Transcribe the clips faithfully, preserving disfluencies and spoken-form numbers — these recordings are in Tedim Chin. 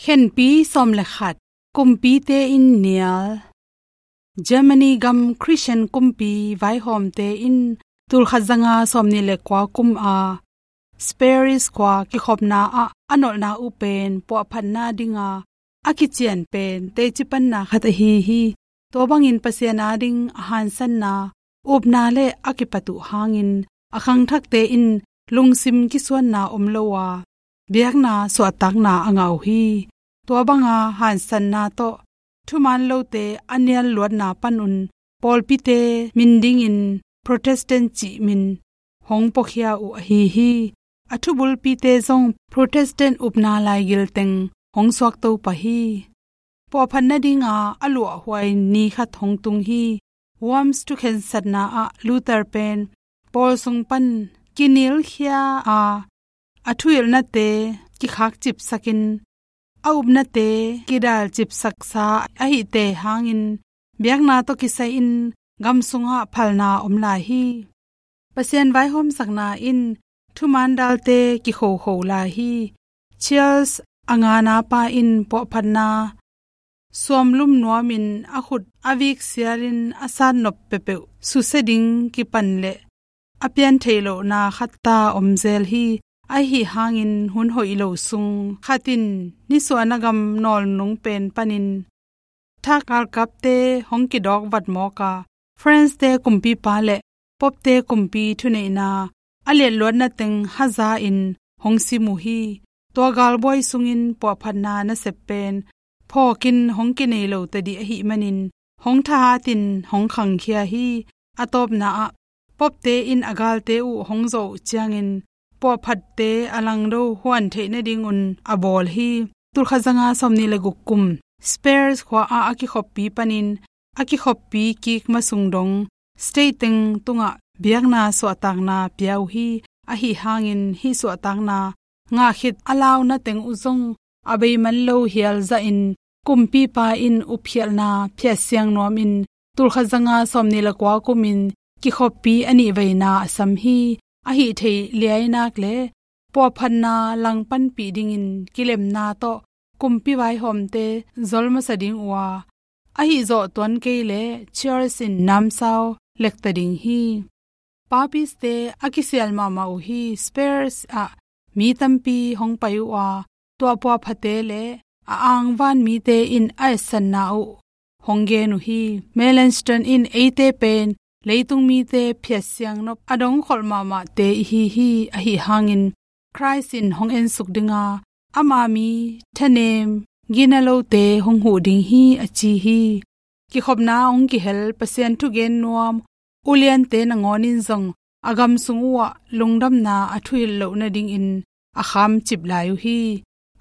Khenpi sawm le khat. Kumpite in nial. Germany gam Christian kumpi vaihawmte in tulkhat zanga sawmnih le kua kum a Spires khua kikhopna ah a nolhna uh pen puahphatna dinga a kician pen teci panna khat ahi hi. Tua bangin Pasian ading a hansanna, upna le a kipat uh hangin a khangthakte in lungsim kisuanna om lo a, biakna suahtakna a ngah uh hi. Tua banga hansanna tawh thuman lote a nial luatna panun pawlpite min dingin Protestant cih min hong puakhia uh ahi hi. A thubulpite zong Protestant upna laigil teng hong suakto pah hi. Puahphat nadinga a luahhuai ni khat hong tung hi. Worms thukhensatna ah Luther pen pawl sung pan kinilkhia a, a thuhilhnate kikhakcipsakin, a upnate kidalcipsaksa ahite hangin biakna tawh kisai-in gam sungah phalna om lai hi. Pasian vaihawmsakna in thuman dalte kikhohkhoh lai hi. Charles a ngana pa in puahphatna suamlum nuamin a khut a vik sialin a satnop peuhpeuh susia ding kipan le a pian theih lohna khat ta om zel hi. Ahi hangin hun hoih lo sung khat in nisuahna gam nawlnung pen panin thak galkapte hong kidawk vatmawk a, France-te kumpipa le Pope-te kumpi thuneihna a liatluatna teng haza-in hong sim uh hi. Tua galbuai sungin puahphatna nasep pen phawkin hong kinei lo tadih ahih manin hong thahatin hong khangkhia hi. A tawpna ah Pope-te in a galte uh hong zawh uh ciangin puahphatte a langdo huan theih nadingun a bawl hi. Tulkhat zanga sawmnih le guk kum Spires khua ah a kikhoppi panin a kikhoppi kik masung dong state teng tungah biakna suahtakna pia uh hi. Ahi hangin hih suahtakna ngah khit a launa teng uh zong a bei man lo hial zahin kumpipa in upkhialhna phiat siang nuamin tulkhat zanga sawmnih le kua kumin kikhoppi a nih veina a sam hi. Ahi thei liainak le puahphatna langpanpih dingin kilemna tawh kumpi vaihawmte zol masa ding uh a, ahi zawh tuan kei le Charles in namsau lekta ding hi. Papiste a kisial mahmah uh hi. Spires ah mi tampi hong pai uh a, tua puahphate le a angvan mite in a etsanna uh hong gen uh hi. Melanchthon in eite pen leitung mite phiat siang nop a dongkholh mahmahte ihi hi. Ahi hangin Christ in hong ensuk dinga ama mi thanem gina lote hong huh ding hi a ci hi. Kikhopna hong kihel Pasian thugen nuam uliante nangawn in zong a gam sung uhah lungdamna a thuhilh loh nadingin a khamcip lai uh hi.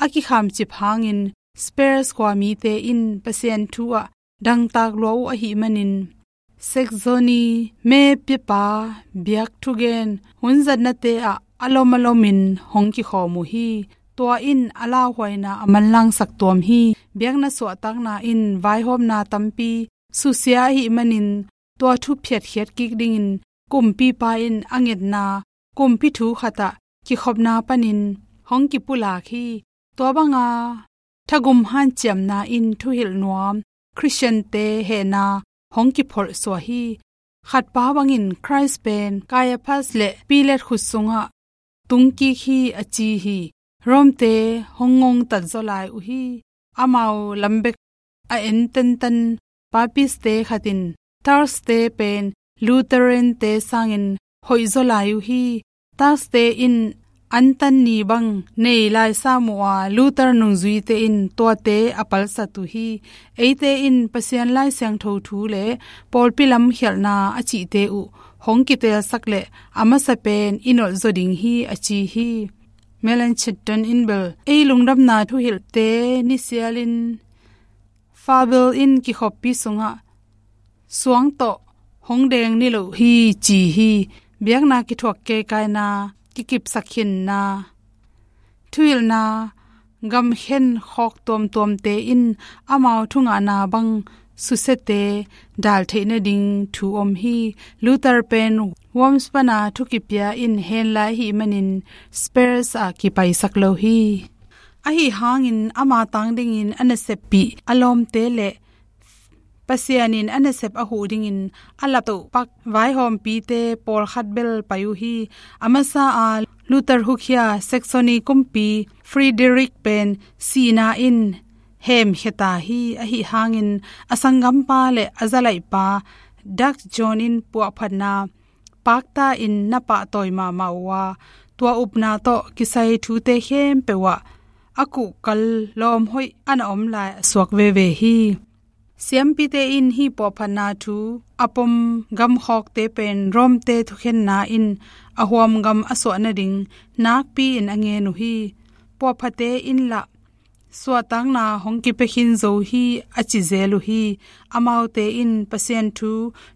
A kikhamcip hangin Spires khua mite in Pasian thu ah dangtak lua uh ahih manin Saxony mepiapa biak thugen hunzatnate ah a lom a lomin hong kikhawm uh hi. Tua in a lauhuaina a manlangsak tuam hi. Biakna suahtakna in vaihawmna tampi susia ahih manin tua thu phiatkhiat kik dingin kumpipa in a ngetna kumpi thu khatah kikhopna panin hong kipulak hi. Tua banga thagum hanciamna in thuhilh nuam Christian-te hehna hong kipholh suah hi. Khatpa bangin Christ pen Caiaphas le Pilat khut sungah tungkik hi a ci hi. Rome-te hong ngongtat zaw lai uh hi. Amau lambek a en tentan Papist-te khat in Turks-te pen Lutheran-te sangin hoih zaw lai uh hi. Turks-te in antan ni bang nei laisam uh a, Luther nungzuite in tuate a palsat uh hi. Eite in Pasian Lai Siangtho thu le pawlpi lamkhialhna a cihte uh hong kitelsak le a masa pen i nolh zaw ding hi a ci hi. Melanchthon in bel ei lungdamna thuhilhte nisialin Fabel in kikhoppi sungah suang tawh hong deng ni lo hi ci hi. Biakna kithuak keikaina kikipsak khinna thuhilhna gamkhen khawk tuamtuamte in amau thungahna bang susiate dal theih nading thu om hi. Luther pen Worms pana thu kipia in hen lai ahih manin Spires ah kipaisak lo hi. Ahi hangin ama tang dingin a naseppih a lawmte le Pasian in a nasep a huh dingin a laptoh pak vaihawmpite pawlkhat bel pai uh hi. A masa a Luther hukhia Saxony kumpi Frederick pen sihna in hemkhia ta hi. Ahi hangin a sanggampa le a zalaihpa Dutch John in puahphatna pakta in na pahtawi mahmah uh a, tua upna tawh kisai thute khempeuh ah a kuhkal lawm hoih a na om lai a suak veve hi. Siampite in hih puahphatna thu a pom gamkhawkte pen Rome-te thukhenna in a huamgam a suah nading nakpi in a ngen uh hi. Puahphate in lah suahtakna hong kipia khin zo hi a ci zel uh hi. Amaute in Pasian thu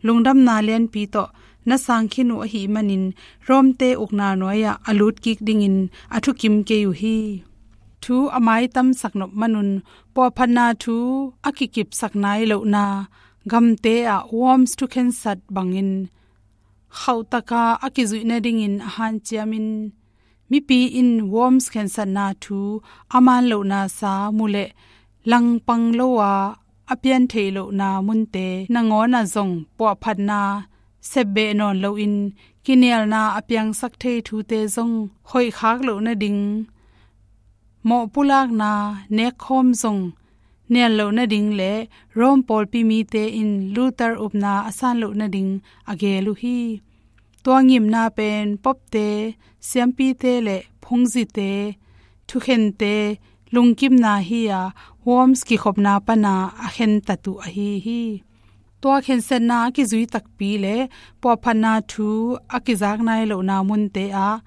lungdamna lianpi tawh na sang khin uh ahih manin Rome-te ukna nuai-ah a lut kik dingin a thukim kei uh hi. Thu a maitamsak nop manun puahphatna thu a kikipsak nai lohna gamte ah Worms thukhensat bangin khauhtaka a kizuih nadingin a hanciamin mipi in Worms khensatna thu a man lohna sa mu leh langpang lo a a pian theih lohna munte nangawn ah zong puahphatna sepbeh nawn loin kinialna a piangsak thei thute zong hoihkhak loh nading, mawhpulakna nekkhawm zong nial loh nading le Rome pawlpi mite in Luther upna a san loh nading a geel uh hi. Tua ngimna pen popte, siampite le phungzite thukhente lungkimna hi a, Worms kikhopna pana a khentat uh ahi hi. Tua khensatna a kizui takpi le puahphatna thu a kizak nai lohna munte ah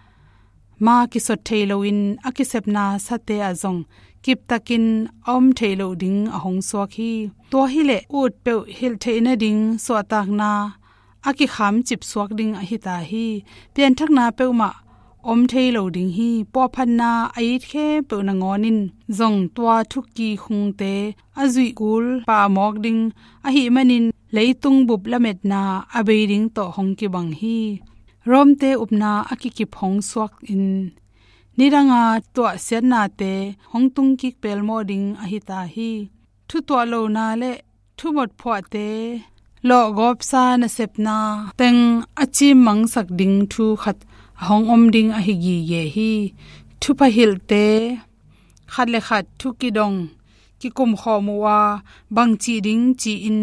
ma kisot thei loin a kisepna sate ah zong kiptakin a om theih loh ding a hong suak hi. Tua hileh ut peuh hilh theih nading suahtakna a kikham cipsuak ding ahi ta hi. Pianthakna peuhmah om thei lo ding hi. Puahphatna a it khempeuh nangawn in zong tua thuki khungte a zuih kul pah mawk ding ahih manin leitung bup lametna a bei ding tawh hong kibang hi. Rome-te upna a kikip hong suak in nidanga tuahsiatnate hong tungkik pelmawh ding ahi ta hi. Thutuah lona le thumot phuahte lawhgawpsa nasepna teng a cimmangsak ding thu khat a hong om ding ahi gige hi. Thupha hilhte khat le khat thu kidong kikumkhawm uh a, bangcih ding ci-in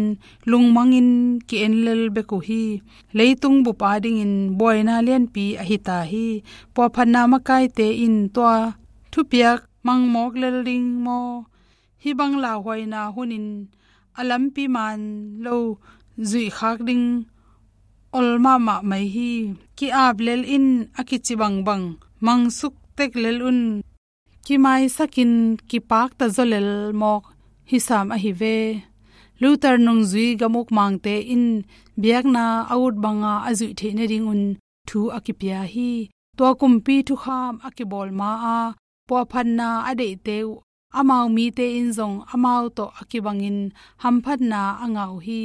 lungmangin ki-en lel bek uh hi. Leitung bup adingin buaina lianpi ahi ta hi. Puahphatna makaite in tua thupiak mangmawk lel ding maw? Hih bang lauhuaina hunin a lampi man lo zuihkhak ding ol mahmah mai hi. Ki-ap lel in a kici bangbang mangsuk tek lel un kimaisakin kipakta zaw lel mawk hi sam ahi ve. Luther nungzui gam ukmangte in biakna a ut banga a zuih theih nadingun thu a kipia hi. Tua kumpi thukham a kibawl ma-a puahphatna a deihte uh amau mite in zong amau tawh a kibangin hamphatna a ngah uh hi.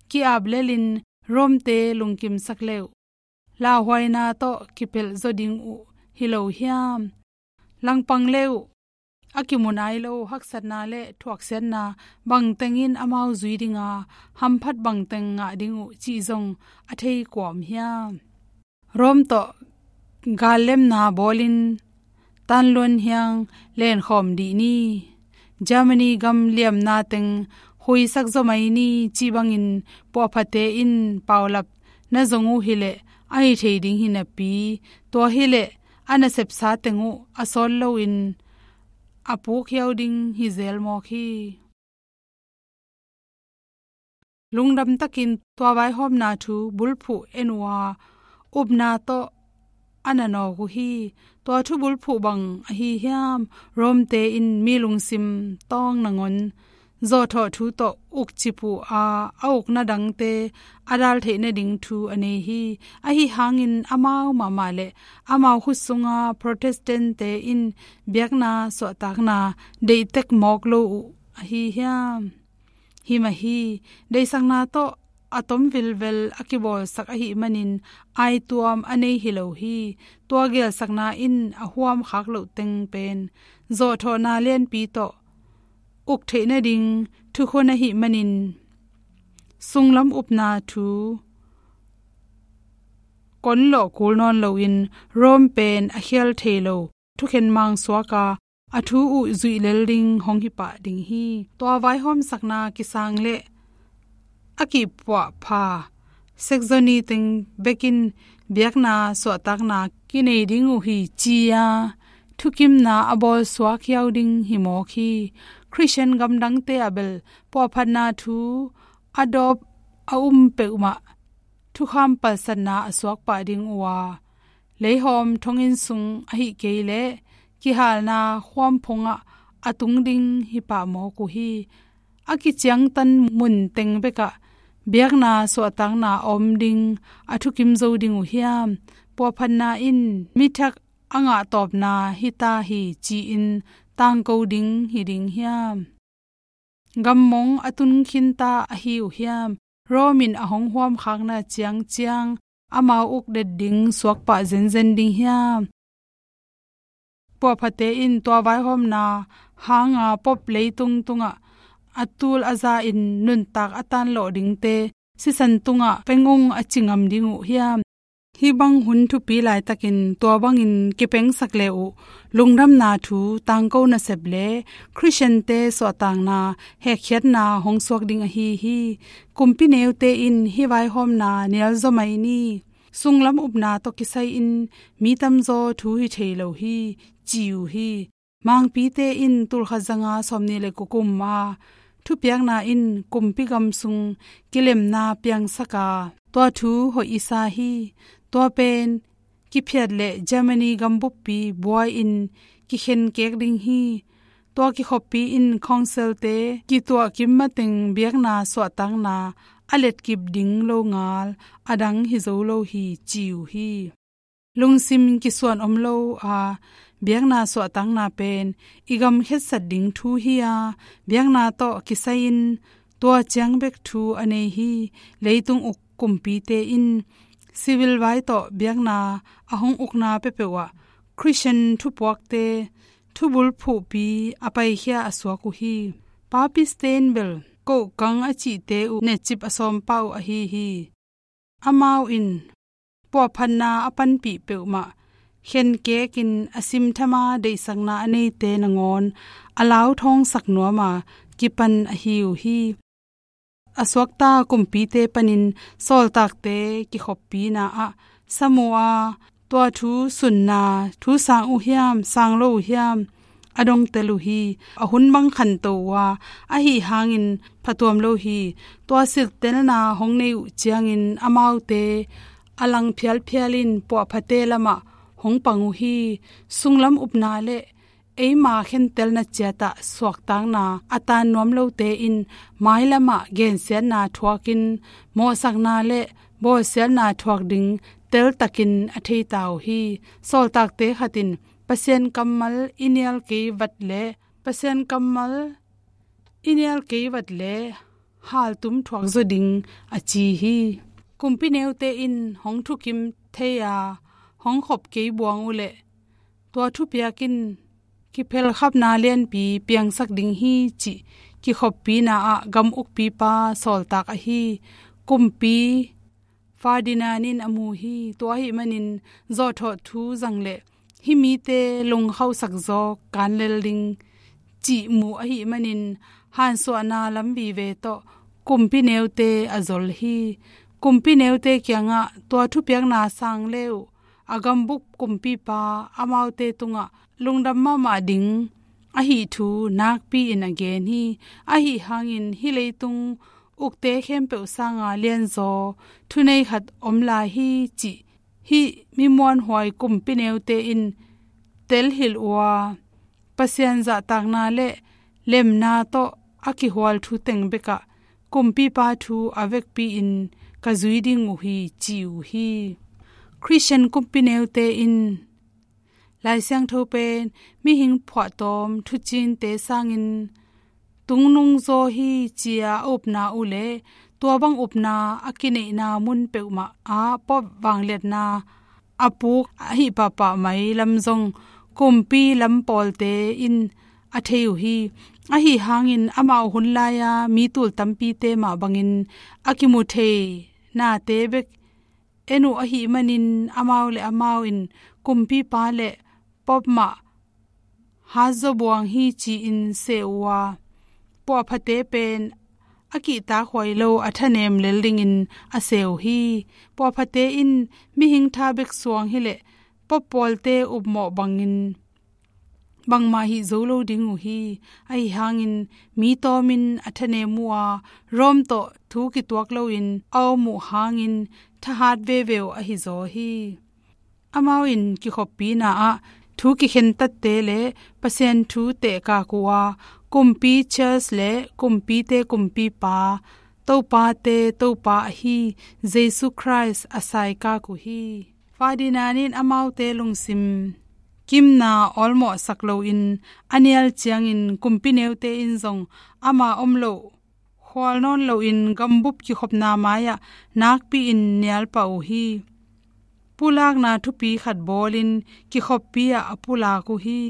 Ki-ap lelin Rome-te lungkimsak le uh lauhuaina tawh kipelh zaw ding uh hi lo hiam? Langpang le uh a kimu nai lo haksatna le thuaksiatna bangteng in amau zui dinga hamphat bangteng ngah ding uh cih zong a thei kua om hiam? Rome tawh gallemna bawlin tanluan hiang lenkhawm dih ni. Germany gam liamna teng huisak zaw mai ni cih bangin puahphate in paulap na zong uh hileh a hi thei ding hi napi, tua hileh a nasepsa teng uh a sawt loin a puk hiau ding hi zel mawk hi. Lungdam takin tua vaihawmna thu bulphuh en uh a, upna tawh a na nawk uh hi. Tua thu bulphuh bang ahi hiam? Rome-te in mi lungsim tawng nangawn zawhthawh thu tawh ukcip uh a, a ukna dangte a dal theih nading thu a nei hi. Ahi hangin amau mahmah le amau khut sunga Protestant-te in biakna suahtakna deihtek mawk lo uh ahi hiam? Hi mah hi. Deihsakna tawh a tom vilvel a kibawlsak ahih manin aituam a nei hi lo hi. Tua geelsakna in a huam khak loh teng pen zawhthawhna lianpi tawh uk theih nading thukhun ahih manin sunglam upna thu kon lawh kul nawn loin Rome pen a khial thei lo thukhen mang suak a, a thu uh zuih lel ding hong hi pah ding hi. Tua vaihawmsakna kisang le a kihpuahpha Saxony teng bekin biakna suahtakna kinei ding uh hi ci-a thukimna a bawlsuak hiau ding hi mawk hi. Khristian gamdangte ah bel puahphatna thu a dawp a um peuhmah thukham palsatna a suak pah ding uh a, leihawm thonginn sung ahih kei leh kihalna khuam phungah a tung ding hi pah mawk uh hi. A kiciangtan mun teng bekah biakna suahtakna a om ding a thukim zo ding uh hiam? Puahphatna in mithak a ngahtawpna hi ta hi ci-in tangko ding hi ding hiam? Gammong a tun khinta ahi uh hiam? Rome in a hong huamkhakna ciangciang amau uk det ding suakpah zenzen ding hiam? Puahphate in tua vaihawmna hanga pop leitung tungah a tul a za in nuntak a tanlawh dingte sisan tungah peng ung a ci ngam ding uh hiam? Hih bang hun thupi laitakin tua bangin kipengsak le uh lungdamna thu tangko nasep le Khristiante suahtakna hekkhiatna hong suak ding ahi hi. Kumpi neute in hih vaihawmna nialzaw mai ni. Sunglam upna tawh kisai-in mi tamzaw thu hi thei lo hi, ci uh hi. Mangpite in tulkhat zanga sawmnih le kua kum a thupiakna in kumpi gam sung kilemna piangsak a, tua thu hoih i sa hi. Tua pen kiphiat le Germany gambuppi buai-in kikhenkek ding hi. Tua kikhoppi in councilte kituah kim mateng biakna suahtakna a letkip ding lo ngal a dang hi zo lo hi, ci uh hi. Lungsim kisuan om lo a biakna suahtakna pen i gam khetsat ding thu hi a, biakna tawh kisai-in tua ciang bek thu a nei hi. Leitung uk kumpite in civil vai tawh biakna a hong ukna peuhpeuh ah Khristian thupuakte thubul phuhpi a paikhia a suak uh hi. Papiste in bel kohkang a cihte uh netcip a sawm pah uh ahi hi. Amau in puahphatna a panpih peuhmah khenkekin a simthama deihsakna a neite nangawn a lauthawngsak nuam a kipan ahi uh hi. A suakta kumpite panin sawltakte kikhoppina ah sam uh a, tua thu sunna thu sang uh hiam, sang lo uh hiam, a dongtel uh hi. A hun bang khanto uh a, ahi hangin phatuam lo hi. Tua silhtelna hong nei uh ciangin amaute a lang phialphial in puahphate lamah hong pang uh hi. Sunglam upna le eima khentelna ciatah suaktakna a tan nuam lote in mailamah gensiatna thuakin mawhsakna le bawlsiatna thuak ding teltakin a theita uh hi. Sawltakte khat in Pasian kammal i nial kei vat le Pasian kammal i nial kei vat le haltum thuak zaw ding a ci hi. Kumpi neute in hong thukim thei a hong khop kei buang uh leh tua thupiak in kiphelkhapna lianpi piangsak ding hi cih kikhoppina ah gam ukpipa sawltak ahi kumpi Ferdinand in a mu hi. Tua ahih manin zawhthawh thu zang le hih mite lungkhauhsak zawk kan lel ding cih mu ahih manin hansuahna lam vive tawh kumpi neute a zol hi. Kumpi neute kiangah tua thupiakna sang le uh a gambup kumpipa amaute tungah lungdam mahmah ding ahi thu nakpi-in a gen hi. Ahi hangin hih leitung ukte khempeuh sanga lianzaw thunei khat om lai hi cih hih mi muanhuai kumpi neute in telhilh uh a, Pasian zahtakna le lemna tawh a kihual thu teng bekah kumpipa thu a vekpi-in ka zui ding uh hi, ci uh hi. Khristian kumpi neute in Lai Siangtho pen mihing phuahtawm thucinte sangin tungnung zaw hi ci-a a upna uh le tua bang upna a kineihna mun peuhmah ah Pope vangliatna a puk ahi pahpah mai lam zong kumpi lam pawlte in a thei uh hi. Ahi hangin amau hun lai-a mi tul tampite mah bangin a kimu thei nate bek en uh ahih manin amau le amau in kumpipa le Pope mah hatzaw buang hi ci-in seh uh a, puahphate pen a kihtakhuai lo a thanem lel dingin a seh uh hi. Puahphate in mihing tha bek suang hileh Pope pawlte upmawh bangin bangmah hih zo lo ding uh hi. Ahi hangin mi tawmin a thanem uh a, Rome tawh thu kituak loin a om uh hangin thahat veve uh ahi zaw hi. Amau in kikhoppina ah thu kikhentatte le Pasian thu tehkak uh a, kumpi Charles le kumpite kumpipa, Topate Topa ahi Jesu Khrist a saikak uh hi. Ferdinand in amaute lungsim kimna awlmawhsak loin a nial ciangin kumpi neute in zong ama om loh khual nawn loin gambup kikhopna mai-ah nakpi-in nial pah uh hi. Pulakna thupi khat bawlin kikhoppi ah a pulak uh hi.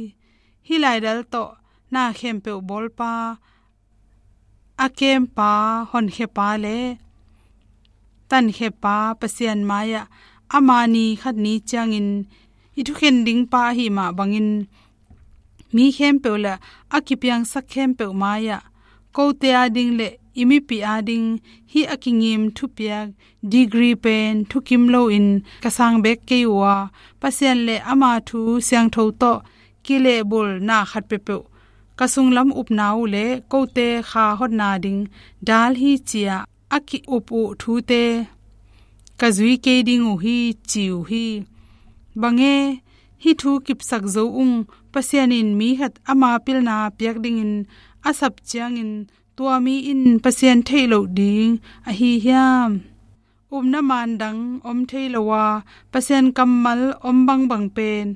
Hih laidal tawh na khempeuh bawlpa, a kempa, honkhepa le tankhepa Pasian mai-ah ama ni khat ni ciangin i thukhen dingpa ahi mah bangin mi khempeuh le a kipiangsak khempeuh mai-ah kote ading le i mipi ading hih a kingim thupiak degree pen thukim loin ka sang bek kei uh a, Pasian le ama thu siangtho tawh kilehbulna khat peuhpeuh ka sunglam upna uh le kote kha hotna ding dal hi ci-ah a ki-up uh thute ka zui kei ding uh hi, ci uh hi. Bang e, hih thu kipsak zo ung, Pasian in mi khat ama pilna piak dingin a sap ciangin tua mi in Pasian theih loh ding ahi hiam? Upna man dang om thei lo a, Pasian kammal om bangbang pen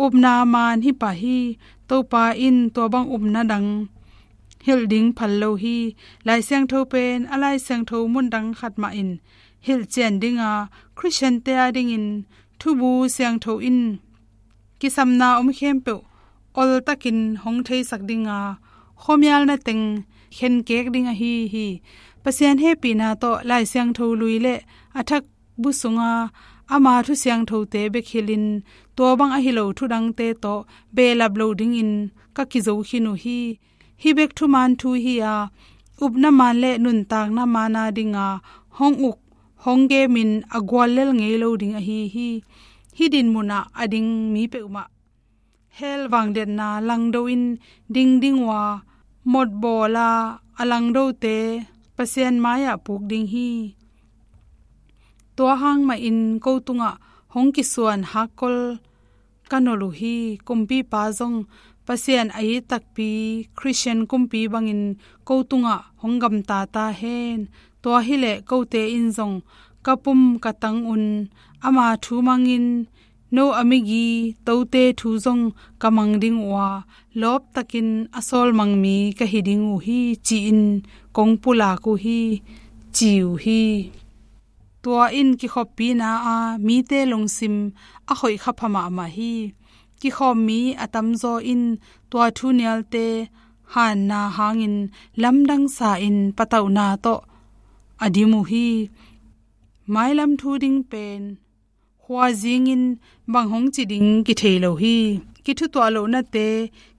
upna man hi pah hi. Topa in tua bang upna dang hilh ding phal lo hi. Lai Siangtho pen a Lai Siangtho mun dang khat mah in hilh cian ding a, Khristiante adingin thubu siangtho in kisamna om khempeuh oltakin hong theisak ding a, khuamialna teng khenkek ding ahi hi. Pasian hehpihna tawh Lai Siangtho lui le a thak bu sunga ama thu siangthote bek hilhin tua bang ahi lo thu dangte tawh behlap lo dingin ka kizo khin uh hi. Hih bek thuman thu hi a, upna man le nuntakna man a dinga hong uk hong kemin a guallel ngei lo ding ahi hi. Hih dinmun ah a ding mi peuhmah hell vangliatna langdo in ding ding uh a, motbawl a a langdote Pasian mai-ah puk ding hi. Tua hang mahin ko tungah hong kisuan hakkol ka nolh uh hi. Kumpipa zong Pasian a it takpi Khristian kumpi bangin ko tungah hong gamta ta hen. Tua hileh kote in zong ka pum ka tang un ama thu mangin no a migi tote thu zong ka mang ding uh a, lawptakin a sawlmang mi ka hi ding uh hi, ci-in kong pulak uh hi, ci uh hi. Tua in kikhoppina a mite lungsim a hoih kha pha mahmah hi. Kikhawm mi a tamzaw in tua thu nialte hanna hangin lamdang sa-in patauhna tawh a dim uh hi. Mailam thu ding pen khuazingin bang hong ci ding kithei lo hi. Kithutuah lohnate,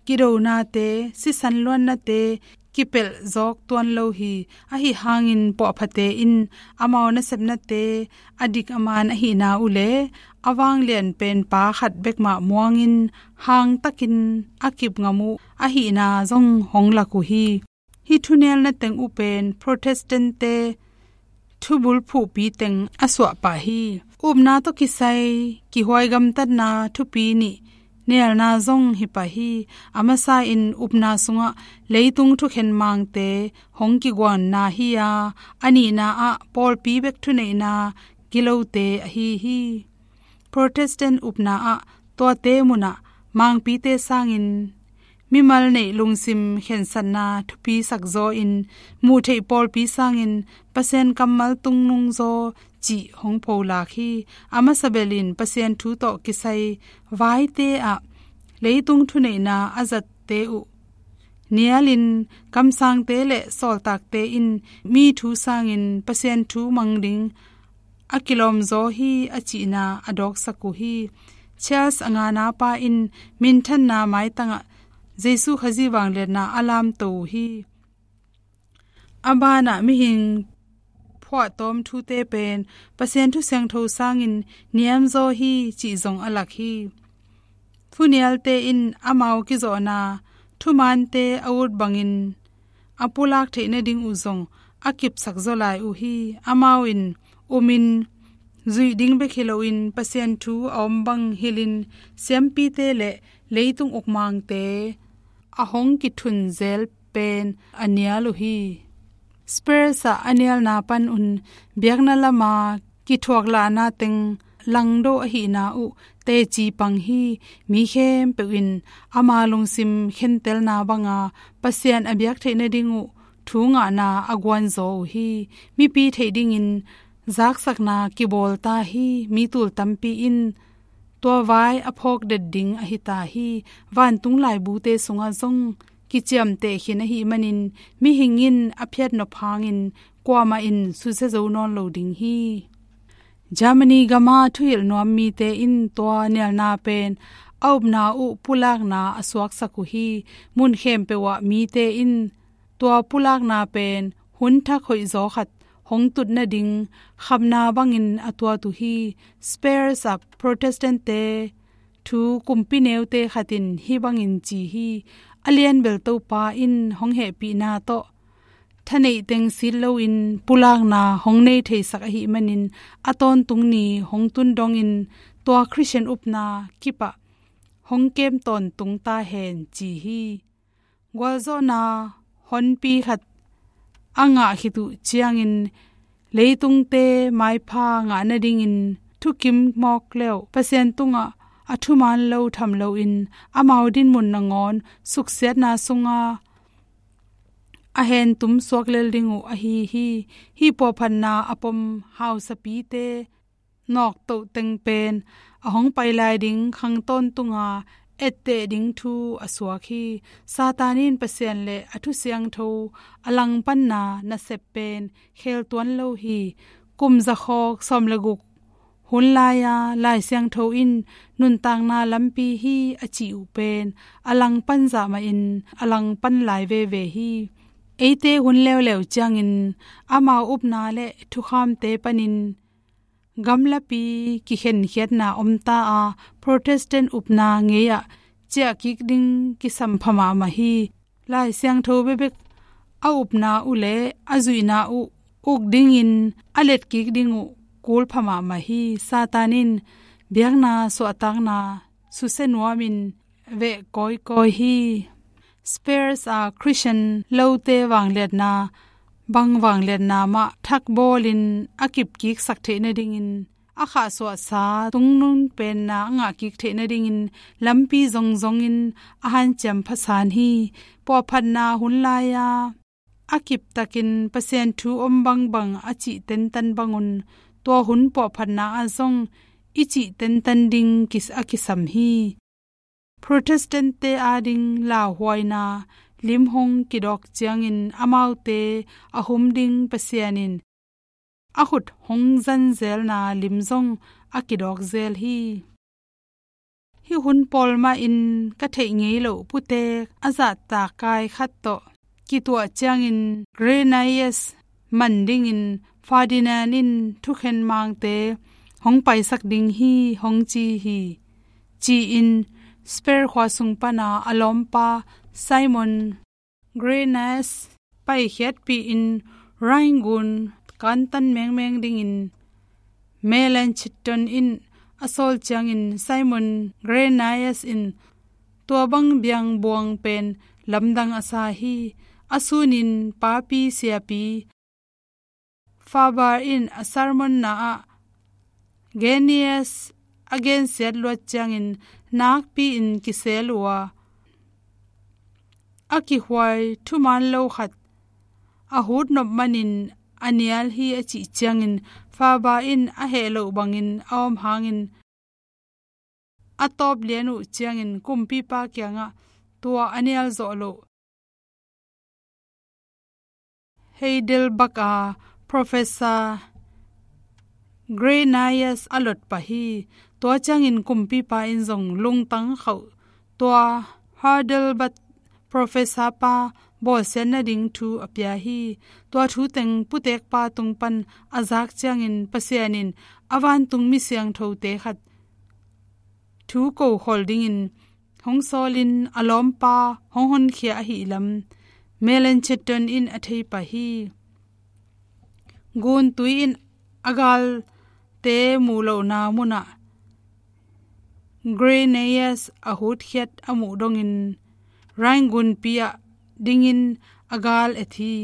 kidonate, sisan luannate kipelh zawk tuan lo hi. Ahi hangin puahphate in amau nasepnate a dik a man ahihna uh le a vanglian penpa khat bek mah muangin hangtakin a kip ngam uh ahihna zong hong lak uh hi. Hih thunelna teng uh pen Protestant-te thubul phuhpi teng a suah pah hi. Upna tawh kisai kihuai gamtatna thupi nih nelna zong hi pah hi. A masa in upna sungah leitung thukhen mangte hong kiguanna hi a, a nihna ah pawlpi bek thuneihna gilote ahi hi. Protestant upna ah tuate munah mangpite sangin mimal neih lungsim khensatna thupi sakzaw in, muh theih pawlpi sangin Pasian kammal tungnungzaw cih hong pholak hi. A masa belin Pasian thu tawh kisai vaite ah leitung thuneihna a zatte uh nialin, kamsangte le sawltakte in mi thu sangin Pasian thu mang ding a kilawmzaw hi, a cihna a dawksak uh hi. Charles a ngana pa in minthanna maitangah Jesu Khazih vangliatna a lamto uh hi. A banah mihing phuahtawm thute pen Pasian thu siangtho sangin niamzaw hi cih zong a lak hi. Thunialte in amau kizawhna thumante a ut bangin a pulak theih nading uh zong a kipsak zaw lai uh hi. Amau in umin zuih ding bek hi loin Pasian thu a om bang hilhin siampite le leitung ukmangte a hong kithun zel pen a nial uh hi. Spurs ah a nialna pan un biakna lama kithuaklahna teng langdo ahihna uh teci pang hi. Mi khempeuh in ama lungsim khentelna banga Pasian a biak theih nading uh thu ngahna a guanzaw uh hi. Mipi theih dingin zaksakna kibawl ta hi. Mi tul tampi in tua vai a phawk det ding ahi ta hi. Vantung laibute sungah zong kiciamteh khin ahih manin mihing in a phiatnop hangin kuamah in susia zo nawn lo ding hi. Germany gama thuhilh nuam mite in tua nialna pen a upna uh pulakna a suaksak uh hi. Mun khempeuh ah mite in tua pulakna pen hun thak hoihzaw khat hong tut nading khamna bangin a tuat uh hi. Spurs ah Protestant-te thu kumpi neute khat in hih bangin ci hi. A lianbel Topa in hong hehpihna tawh thaneih teng sit loin pulakna hong nei theisak ahih manin a tawntung ni hong tun dongin tua Khristian upna kipah hong kem tawntung ta hen ci hi. Gualzawhna honpi khat a ngah khit uh ciangin leitungte maipha ngah nadingin thukim mawk le uh Pasian tungah a thuman lo tham loin amau dinmun nangawn suksiatna sunga a hentum suak lel ding uh ahi hi. Hih puahphatna a pom hausapite nawktoh teng pen a hong pai lai ding khang tawntunga etteh ding thu a suak hi. Satan in Pasian le a thu siangtho a langpanna nasep pen khel tuan lo hi. Kum zakhawk sawm le guk hun lai-a Lai Siangtho in nuntakna lampi hi a cih uh pen a langpan zah mahin a langpan lai veve hi. Eite hun leuleu ciangin amau upna le thukhamte panin gamlapi kikhenkhiatna om ta a, Protestant upna ngei-ah ciah kik ding kisam pha mahmah hi. Lai Siangtho bekbek a upna uh le a zuihna uh uk dingin a let kik ding uh kul pha mahmah hi. Satan in biakna suahtakna susia nuamin veh kawikawi hi. Spurs a Khristian lote vangliatna, bang vangliatna mah thakbawlin a kipkiksak theih nadingin a khahsuahsa tungnung penna a ngahkik theih nadingin lampi zongzongin a hanciam phasan hi. Puahphatna hun lai-a a kiptakin Pasian thu om bangbang a cih tentan bangun tua hun puahphatna ah zong i cih tentan ding kis-, a kisam hi. Protestant-te ading lauhuaina lim hong kidawk ciangin amaute a hum ding Pasian in a khut hong zanzelna lim zong a kidawk zel hi. Hih hun pawl mahin ka theih ngei loh putek a zahtak kai khat tawh kituah ciangin Grey Nias man dingin Ferdinand in thukhen mangte hong paisak ding hi hong ci hi, ci-in Spurs khua sung pana a lawmpa Simon Grey Nias paikhiatpih in Rhine gun kantan mengmeng dingin Melanchthon in a sawl ciangin Simon Grey Nias in tua bang biangbuang pen lamdang a sa hi. A sunin papi siapi Faber in a sermon-na ah Grey Nias a gensiat luat ciangin nakpi-in kisel uh a, a kihuai thuman lo khat a hut nop manin a nial hi a cih ciangin, faba in a heh loh bangin a om hangin, a tawp lian uh ciangin kumpipa kiangah tua a nial zawh loh Heidelberg a Professor Grenius a lot pah hi. Tua ciangin kumpipa in zong lungtang khauh tua Heidelberg professor pa bawlsiat nading thu a pia hi. Tua thu teng putekpa tung pan a zak ciangin Pasian in a vantung mi siangthote khat thu kokhol dingin hong sawlin a lawmpa hong honkhia ahih lam Melanchthon in a thei pah hi. Guntui in a galte muh lohna munah Grenius a hutkhiat a muh dongin Rhine gunpi ah dingin a gal et hi.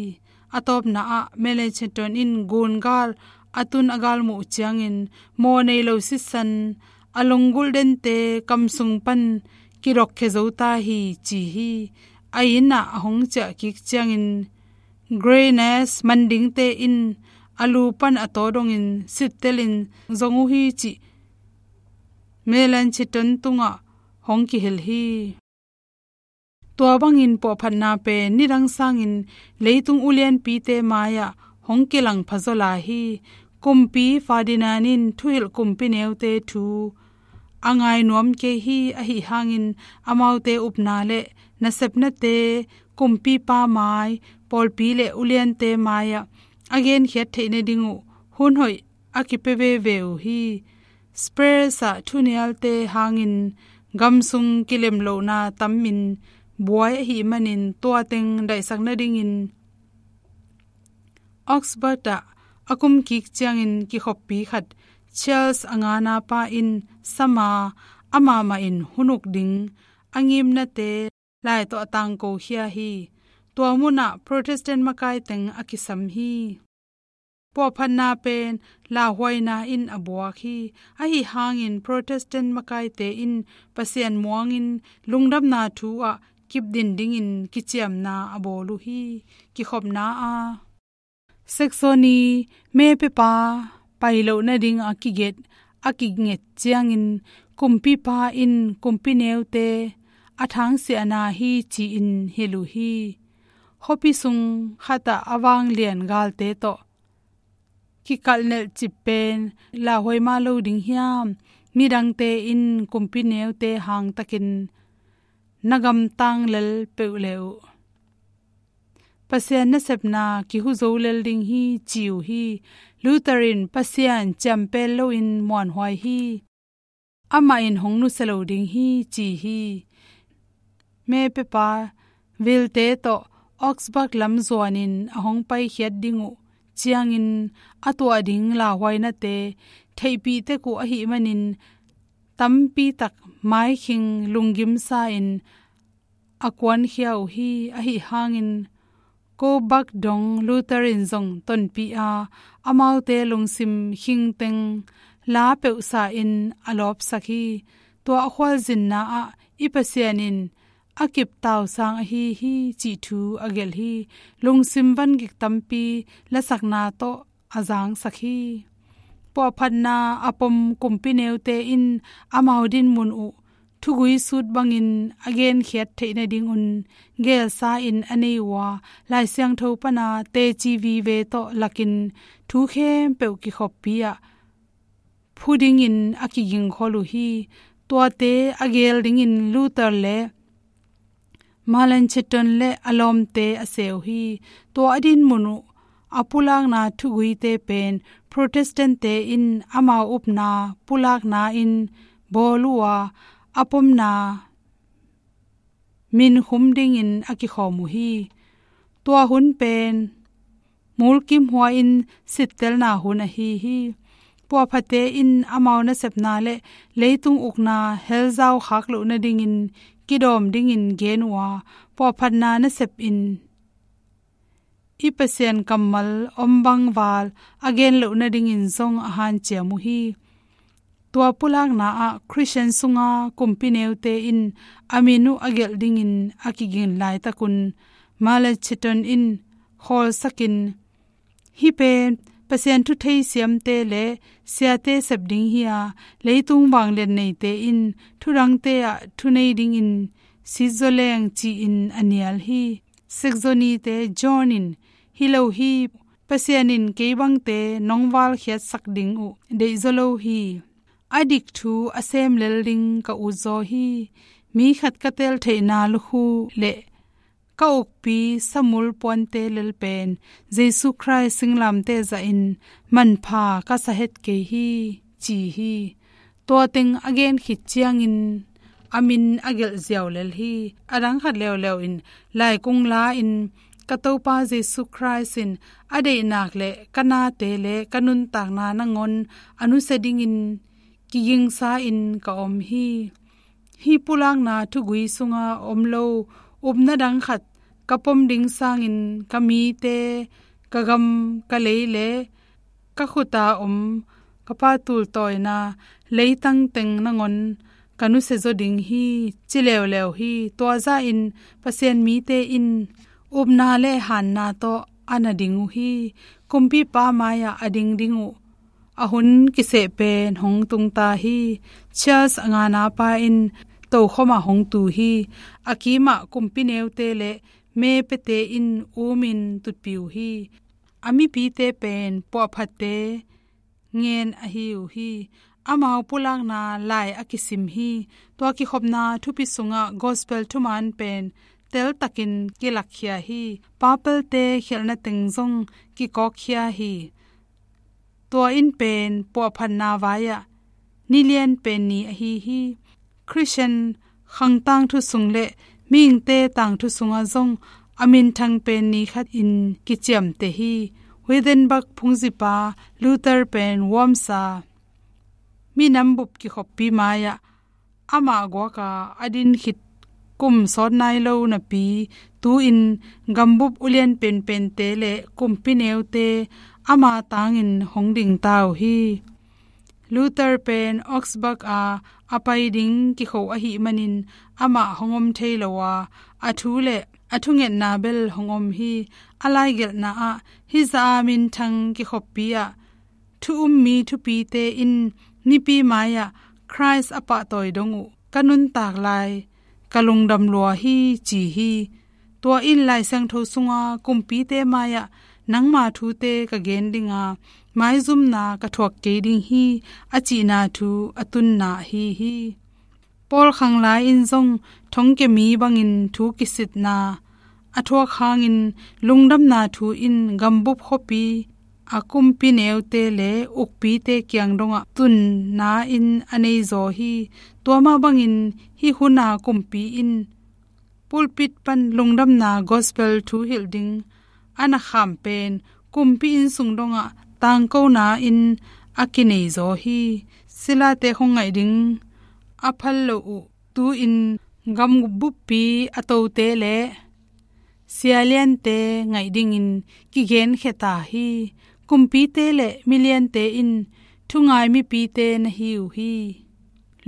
A tawpna ah Melanchthon in gun gal a tun a gal muh ciangin maw nei lo sisan a lunggulh dente kam sung pan kidokkhia zo ta hi ci hi. A inn ah a hong ciah kik ciangin Grenius man dingte in a lu pan a taw dongin sittelin zong uh hi cih Melanchthon tungah hong kihilh hi. Tua bangin puahphatna pen nidang sangin leitung ulianpite mai-ah hong kilang phazaw lai hi. Kumpi Ferdinand in thuhilh kumpi neute thu a ngai nuam kei hi. Ahi hangin amaute upna le nasepnate kumpipa mai, pawlpi le uliante mai-ah a genkhiat theih nading uh hun hoih a kipia veve uh hi. Spurs ah thunialte hangin gamsung kilemlohna tamin buai ahih manin tua teng daihsak nadingin Augsburg ah a kumkik ciangin kikhoppi khat Charles a ngana pa in sama amah mah in hun uk ding a ngimnate lai tawh a tangko khia hi. Tua munah Protestant makai teng a kisam hi. Puahphatna pen lauhuaina in a buak hi. Ahi hangin Protestant makaite in Pasian muangin lungdamna thu ah kipdin dingin kiciamna a bawl uh hi. Kikhopna a Saxony mepiapa pai loh nading a kiget a kinget ciangin kumpipa in kumpi neute a thangsiahna hi ci-in hilh uh hi. Khuapi sung khatah a vanglian galte tawh kikalhnelh cip pen lauhuai mah lo ding hiam? Midangte in kumpi neute hangtakin na gamtang lel peuh le uh Pasian nasepna kihu zo lel ding hi ci uh hi. Luther in Pasian ciampel loin muanhuai hi. Amah in hong nusia lo ding hi ci hi. Mepiapa vilte tawh Augsburg lam zuanin a hong paikhiat ding uh ciangin a tuah ding lauhuainate theihpih tek uh ahih manin tampitak maikhing lunggimsa in a kuankhia uh hi. Ahi hangin Coburg dong Luther in zong tonpih a, amaute lungsim khingteng la peuhsa in a lawpsak hi. Tua a khualzinna ah i Pasian in a kip tausang ahi hi cih thu a gelh hi. Lungsim vangik tampi lasakna tawh a zangsak hi. Puahphatna a pom kumpi neute in amau dinmun uh thugui sut bangin a genkhiat theih nadingun gelsa in a nei uh a, Lai Siangtho pana teci vive tawh lakin thu khempeuh kikhoppi ah phu dingin a kigingkhol uh hi. Tuate a gel dingin Luther le Melanchthon le a lawmte a seh uh hi. Tua a dinmun uh a pulakna thuguite pen Protestant-te in amau upna pulakna in bawl uh a, a pomna minkhum dingin a kikhawm uh hi. Tua hun pen mulkimhuai-in sittelna hun ahi hi. Puahphate in amau nasepna le leitung ukna helzau khak loh nadingin kidawm dingin gen uh a, puahphatna nasep in i Pasian kammal om bangval a gen loh nadingin zong a hanciam uh hi. Tua pulakna ah Khristian sunga kumpi neute in a min uh a gelh dingin a kiging laitakun Melanchthon in khawlsakin, hih pen Pasian thu theisiamte le siate sep ding hi a, leitung vanglian neite in thudangte ah thunei dingin sitzaw leng ci-in a nial hi. Saxony-te John in, "Hi lo hi, Pasian in kei bangte nong valkhiatsak ding uh deihzaw lo hi. A dik thu a sem lel ding ka utzaw hi. Mi khat ka tel theihna lukhu le ka ukpi samul puante lel pen Jesu Khrist singlamteh zahin manpha ka sa het kei hi," ci hi. Tua teng a gen khit ciangin a min a gelh ziau lel hi. A dang khat leuleu in laikung la-in, "Ka Topa Jesu Khrist in a deihnak le ka nate le ka nuntakna nangawn a nusia dingin kigingsa-in ka om hi. Hih pulakna thugui sunga om lo upna dang khat ka pom ding sangin ka mite, ka gam, ka lei le ka khuta om ka pa tultawina leitang teng nangawn ka nusia zaw ding hi," ci leuleu hi. Tua zahin Pasian mite in upna le hanna tawh a na ding uh hi. Kumpipa mai-ah a ding ding uh a hun kiseh pen hong tungta hi. Charles a ngana pa in tokhom ah hong tu hi. A kimah kumpi neute le mepiate in umin tutpi uh hi. A mipite pen puahphatte ngen ahi uh hi. Amau pulakna lai a kisim hi. Tua kikhopna thupi sungah gospel thuman pen teltakin kilakkhia hi. Papalte khialhna teng zong kikawkkhia hi. Tua in pen puahphatna vai-ah ni lian pen ni ahi hi. Khristian khang tangthu sung le mihingte tangthu sungah zong a minthang pen ni khat in kiciamteh hi. Wittenberg phungzipa Luther pen Worms a minam bup kikhoppi mai-ah amah guaka a din khit kum sawt nai lo napi, tu-in gambup ulian penpente le kumpi neute ama tangin hong dingta uh hi. Luther pen Augsburg a a pai ding kikho ahih manin amah hong om thei lo a, a thu le a thungetna bel hong om hi. A laigelhna ah, hih zah a minthang kikhoppi ah thu um mi thupite in mipi mai-ah Khrist a pahtawi dong uh ka nuntak lai ka lungdam lua hi, ci hi. Tua in Lai Siangtho sunga kumpite mai-ah nangma thute ka gen dinga maizumna ka thuak kei ding hi, a cihna thu a tunna ahi hi. Paul khanglai in zong thongkia mi bangin thu kisitna a thuak hangin lungdamna thu in gambup khuapi a kumpi neute le ukpite kiang dongah tunna in a nei zaw hi. Tua mah bangin hih huna kumpi in pulpit pan lungdamna gospel thu hilh ding a na kham pen kumpi inn sung dongah tangkona in a kinei zaw hi. Silate khong ngaih ding a phal lo uh tu-in gam buppi a tote le sialiante ngaih dingin kigenkhia ta hi. Kumpite le miliante in thungai mipite na hi uh hi.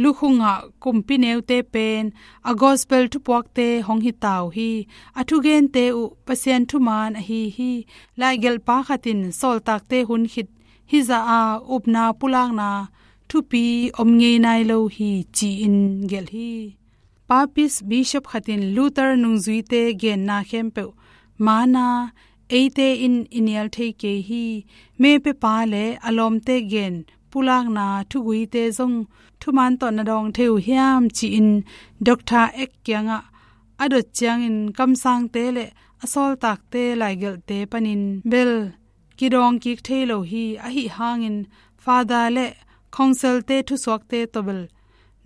Lukhungah kumpi neute pen a gospel thupuakte hong hi ta uh hi. A thugente uh Pasian thuman ahi hi. Laigelhpa khat in sawltakte hun khit hih zah a upna pulakna thupi om ngei nai lo hi, ci-in gelh hi. Papist bishop khat in Luther nungzuite genna khempeuh mana eite in i nial thei kei hi. Mepiapa le a lawmte gen pulakna thuguite zong thuman tawh na dawng thei uh hiam, ci-in Doctor Eck kiangah a dot ciangin kamsangte le a sawltakte laigelhte panin bel kidawng kik thei lo hi. Ahi hangin Father le Councilte thusuakte tawh bel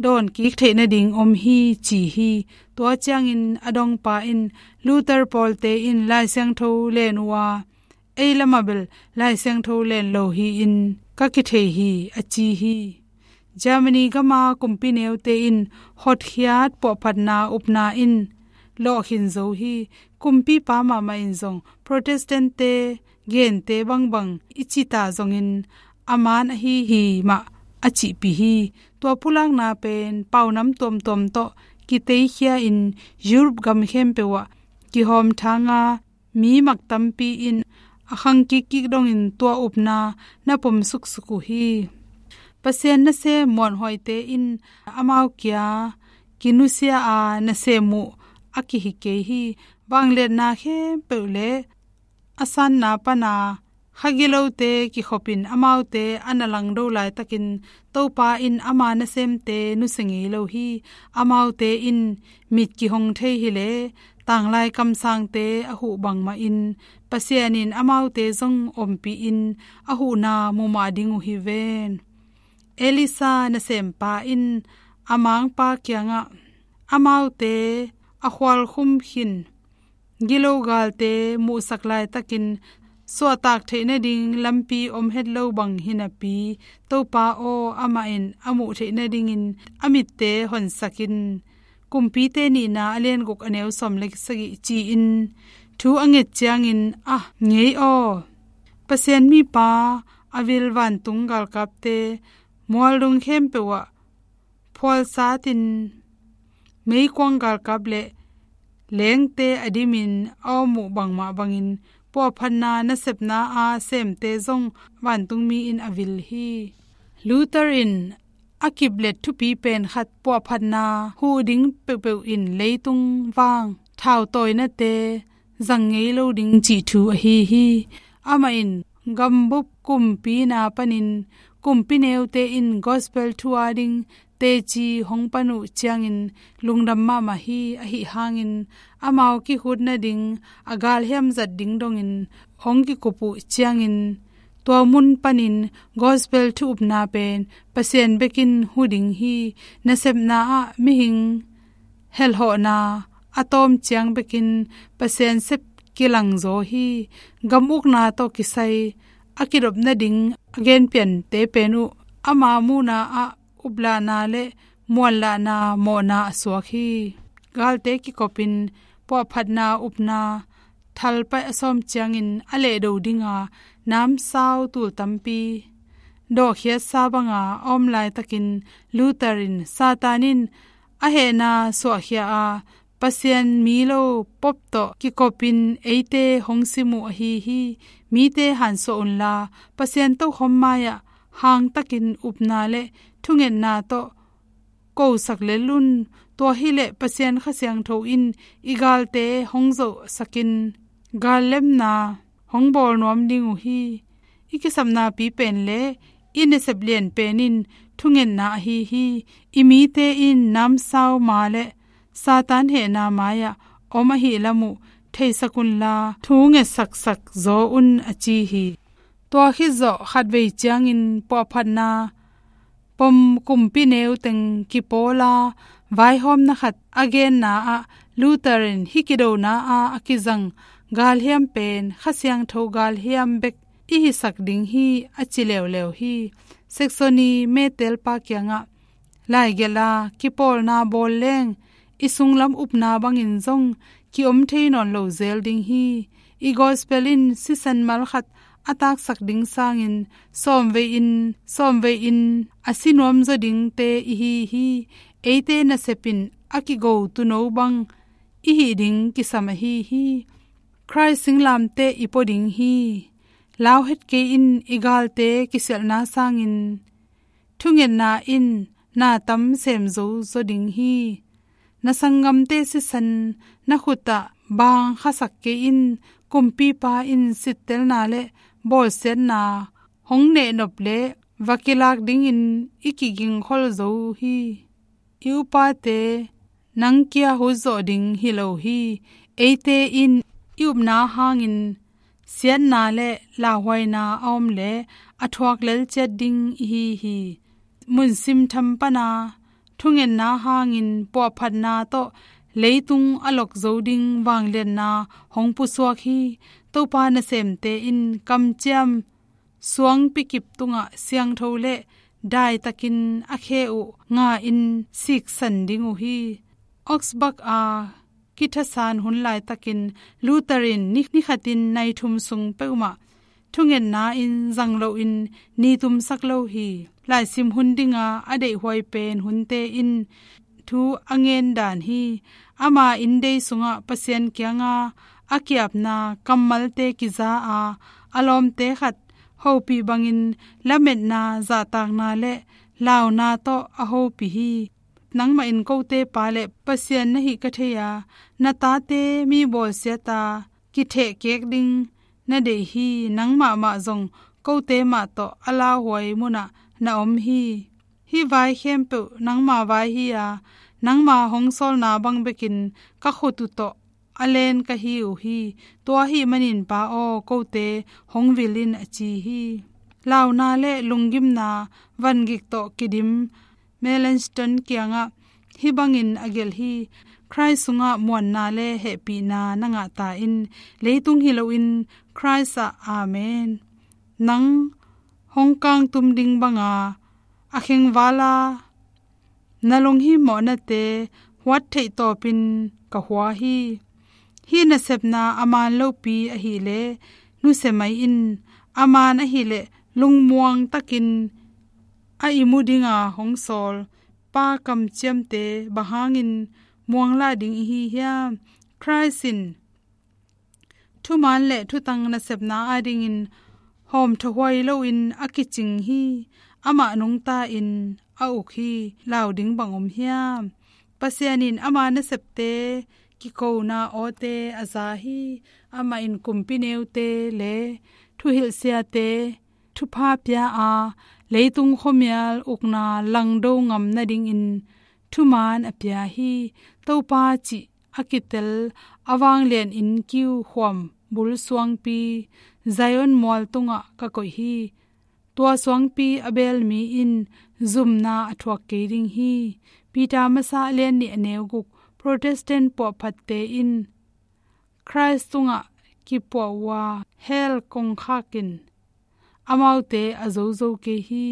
dawn kik theih nading om hi, ci hi. Tua ciangin a dongpa in Luther pawlte in Lai Siangtho len uh a, ei lamah bel Lai Siangtho len lo hi-in ka kithei hi, a ci hi. Germany gama kumpi neute in hotkhiat puahphatna upna in lawhkhin zo hi. Kumpipa mahmah in zong Protestantte gente bangbang i cita zongin a man ahi hi mah a cihpih hi. Tua pulakna pen paunam tuamtuam tawh kiteikhia in Europe gam khempeuh ah kihawm thanga mi mak tampi in a khang kikkik dongin tua upna na pom suksuk uh hi. Pasian nasem muanhuaite in amau kia kinusia a nasem uh a kihi kei hi. Vangliatna khempeuh le a sanna pana kha gilote kikhopin amaute a na langdo laitakin Topa in ama nasemte nusia ngei lo hi. Amaute in mit kihong thei hileh tanglai kamsangte a huh bangmahin Pasian in amaute zong ompih in a huhna mumah ding uh hi ven. Elisa nasempa in a mangpa kiangah amaute a khualkhum khin gilo galte muhsak laitakin suahtak theih nading lampi om het lo bang hi napi, Topa aw, amah in a muh theih nadingin a mitte honsak in. Kumpite nihna a lianguk a neu sawm le sagih ci-in thu a nget ciangin a ngei aw. Pasian mipa a vil vantung galkapte mualdung khempeuh ah phualsatin meikuang galkap le lengte a dimin a om uh bangmah bangin puahphatna nasepna a semte zong vantungmi in a vil hi. Luther in a kiplet thupi pen khat puahphatna huh ding peuhpeuh in leitung vang thautawinate zang ngei lo ding cih thu ahi hi. Amah in gambup kumpina panin kumpi neute in gospel thu a ding teci hong pan uh ciangin lungdam mahmah hi. Ahi hangin amau kihut nading a galhiam zat ding dongin hong kikup uh ciangin tua mun panin gospel thu upna pen Pasian bekin hu ding hi. Nasepna ah mihing helhawhna a tawm ciang bekin Pasian sep kilangzaw hi. Gam ukna tawh kisai a kidop nading a genpiante pen uh ama muhna ah uplahna le muanlahna mawhna a suak hi. Galte kikopin puahphatna upna thalpaih a sawm ciangin a lehdo dinga namsau tul tampi dawhkhiatsa banga a om laitakin Luther in Satan in a hehna suahkhia a Pasian mi lo pop tawh kikopin eite hong sim uh ahi hi. Mite hansuah unla Pasian tokhom mai-ah hangtakin upna le thungetna tawh kosak lel un. Tua hileh Pasian Kha Siangtho in i galte hong zohsakin gallemna hong bawl nuam ding uh hi. I kisapnapi pen le i nasep lian pen in thungetna ahi hi. I mite in namsau ma le Satan hehna mai-ah om ahi lam uh theisak unla thu ngetsaksak zaw un a ci hi. Tua khit zawh khatvei ciangin puahphatna pom kumpi neu teng kipawla vaihawmna khat a genna ah Luther in hih kidona a a kizang galhiam pen Kha Siangtho galhiam bek i hisak ding hi a ci leuleu hi. Saxony metelpa kiangah laigelh a kipawlna bawl leng i sunglam upna bangin zong ki-om thei nawn lo zel ding hi. I gospel in sisan mal khat a taksak ding sangin sawmvei in sawmvei in a si nuamzaw dingte i hi hi. Eite nasep in a kigo tuuno bang i hih ding kisam ahi hi. Khrih singlamteh i pua ding hi. Lau het kei in i galte kisialhna sangin thungetna in na tam semzo zaw ding hi. Na sanggamte sisan na khutah bang khasak kei in. Kumpipa in sittelna le bawlsiatna hong nehnop le va kilak dingin i kigingkhol zo hi. I upate nang kia hutzawh ding hi lo hi. Eite in i upna hangin siatna le lauhuaina a om le a thuak lel ciat ding i hi hi. Mun simtham pana thungetna hangin puahphatna tawh leitung a lok zo ding vangliatna hong pusuak hi. Topa nasemte in kamciam suangpi kip tungah siangtho le daitakin a khe uh nga in siksan ding uh hi. Augsburg a kithasan hun laitakin Luther in ni, ni khatin nai thum sung peuhmah thungetna in zang loin ni tumsak lo hi. Laisim hun dinga a deihhuai pen hunte in thu a ngen dan hi. Ama inndei sungah Pasian kianga a kiapna kammalte kiza a, a lawmte khat hopih bangin lametna, zahtakna le launa tawh a hopih hi. Nangmah in kote pa le Pasian na hih ka thei a, na tate mi bawlsiat a kithehkek ding na deih hi. Nangmah mah zong kote mah tawh a lauhuai munah na om hi. Hih vai khempeuh nangma vai hi a, nangma hong sawlna bang bekin ka khut uh tawh a len ka hi uh hi. Tua ahih manin Pa aw, kote hong vil in, a ci hi. Launa le lunggimna vangik tawh kidim Melanchthon kiangah hih bangin a gelh hi: Khrist sungah muanna le hehpihna na ngah ta in, leitung hi loin Khrist ah. Amen. Nang hong kangtum ding banga a khengvala na lunghimawhnate huat theih tawpin ka hua hi. Hih nasepna a man lopi ahileh nusia mai in. A man ahileh lungmuang takin a i mu dinga hong sawl Pa kamciamte bang hangin muanglah ding i hi hiam? Khrist in thuman le thutang nasepna adingin hawmthawhuai loin a kicing hi. Amah nungta in a uk hi. Lau ding bang om hiam? Pasian in ama nasepte kikona awte a za hi. Amah in kumpi neute le thuhilhsiate thupha pia a, leitung khuamial ukna langdo ngam nadingin thuman a pia hi. Topa cih a kitel a vanglian innkiu khuam bul suangpi, Zion mual tungah ka koih hi. Tua suangpi a beel mi in zumna a thuak kei ding hi. Peter masa a lian nih a neu guk. Protestant puahphatte in Khrist tungah kipuah uh a, hell kongkhak in amaute a zozo kei hi.